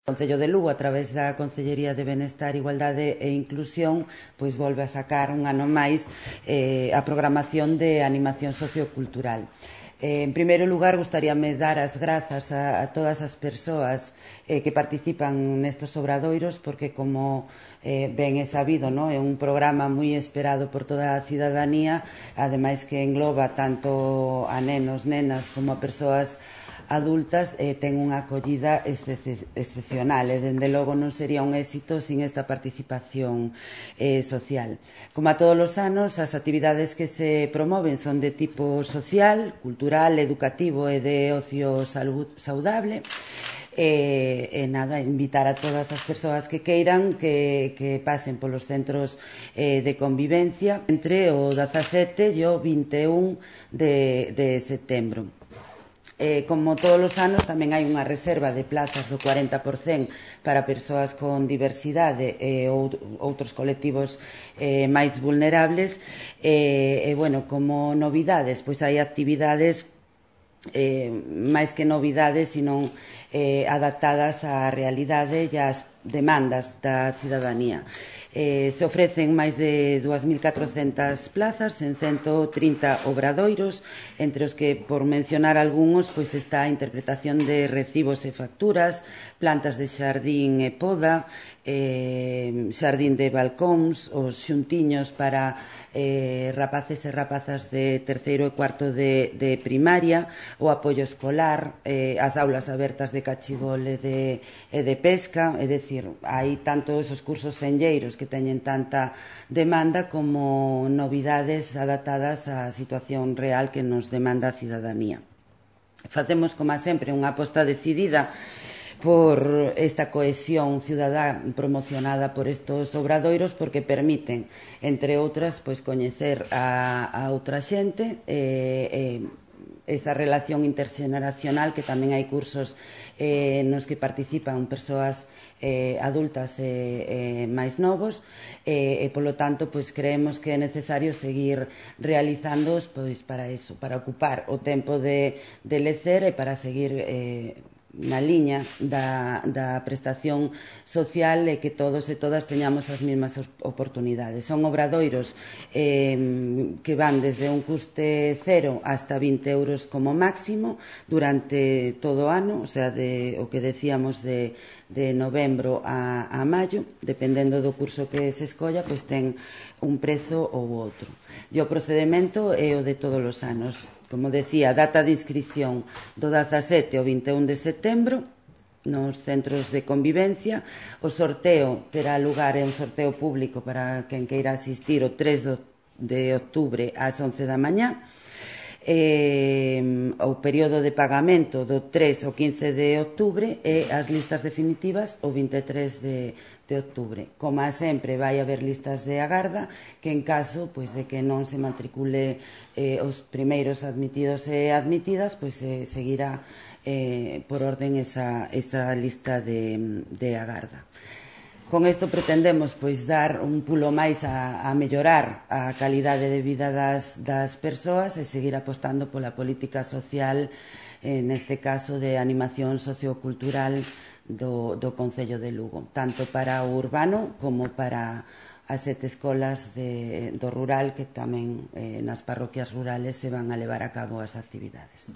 O Concello de Lugo, a través da Concellería de Benestar, Igualdade e Inclusión, pois volve a sacar un ano máis a programación de animación sociocultural. En primeiro lugar, gustaríame dar as grazas a todas as persoas que participan nestos obradoiros, porque como ben é sabido, non? É un programa moi esperado por toda a cidadanía, ademais que engloba tanto a nenos, nenas, como a persoas adultas, ten unha acollida excepcional e dende logo non sería un éxito sin esta participación social. Como a todos os anos, as actividades que se promoven son de tipo social, cultural, educativo e de ocio saudable. Nada, invitar a todas as persoas que queiran que pasen polos centros de convivencia entre o 17 e o 21 de setembro. Como todos os anos, tamén hai unha reserva de plazas do 40% para persoas con diversidade e outros colectivos máis vulnerables. Bueno, como novidades, pois hai actividades máis que novidades, sino adaptadas á realidade e ás demandas da cidadanía. Se ofrecen máis de 2.400 plazas en 130 obradoiros, entre os que, por mencionar algúns, pois está a interpretación de recibos e facturas, plantas de xardín e poda, xardín de balcóns, os xuntiños para rapaces e rapazas de terceiro e cuarto de primaria, o apoio escolar, as aulas abertas de cachibol e de pesca, é dicir, hai tanto esos cursos senlleiros que teñen tanta demanda como novidades adaptadas á situación real que nos demanda a cidadanía. Facemos, como sempre, unha aposta decidida por esta cohesión cidadá promocionada por estos obradoiros, porque permiten, entre outras, pois coñecer a outra xente, esa relación interxeneracional, que tamén hai cursos nos que participan persoas adultas e máis novos, e polo tanto pois creemos que é necesario seguir realizándoos pois para eso, para ocupar o tempo de lecer e para seguir na liña da prestación social e que todos e todas teñamos as mesmas oportunidades. Son obradoiros que van desde un custe cero hasta 20 euros como máximo durante todo o ano, o sea, o que decíamos de novembro a maio, dependendo do curso que se escolla, pois ten un prezo ou outro. E o procedimento é o de todos os anos. Como decía, data de inscripción do 17 ao 21 de setembro nos centros de convivencia. O sorteo terá lugar, é un sorteo público para quen queira asistir, o 3 de outubro ás 11 da mañá. O período de pagamento do 3 ao 15 de outubro e as listas definitivas o 23 de outubro. Como sempre, vai haber listas de agarda que, en caso pois de que non se matricule os primeiros admitidos e admitidas, pois seguirá por orden esa lista de agarda. Con isto pretendemos pois dar un pulo máis a mellorar a calidade de vida das persoas e seguir apostando pola política social, neste caso de animación sociocultural do Concello de Lugo, tanto para o urbano como para as 7 escolas do rural, que tamén nas parroquias rurales se van a levar a cabo as actividades.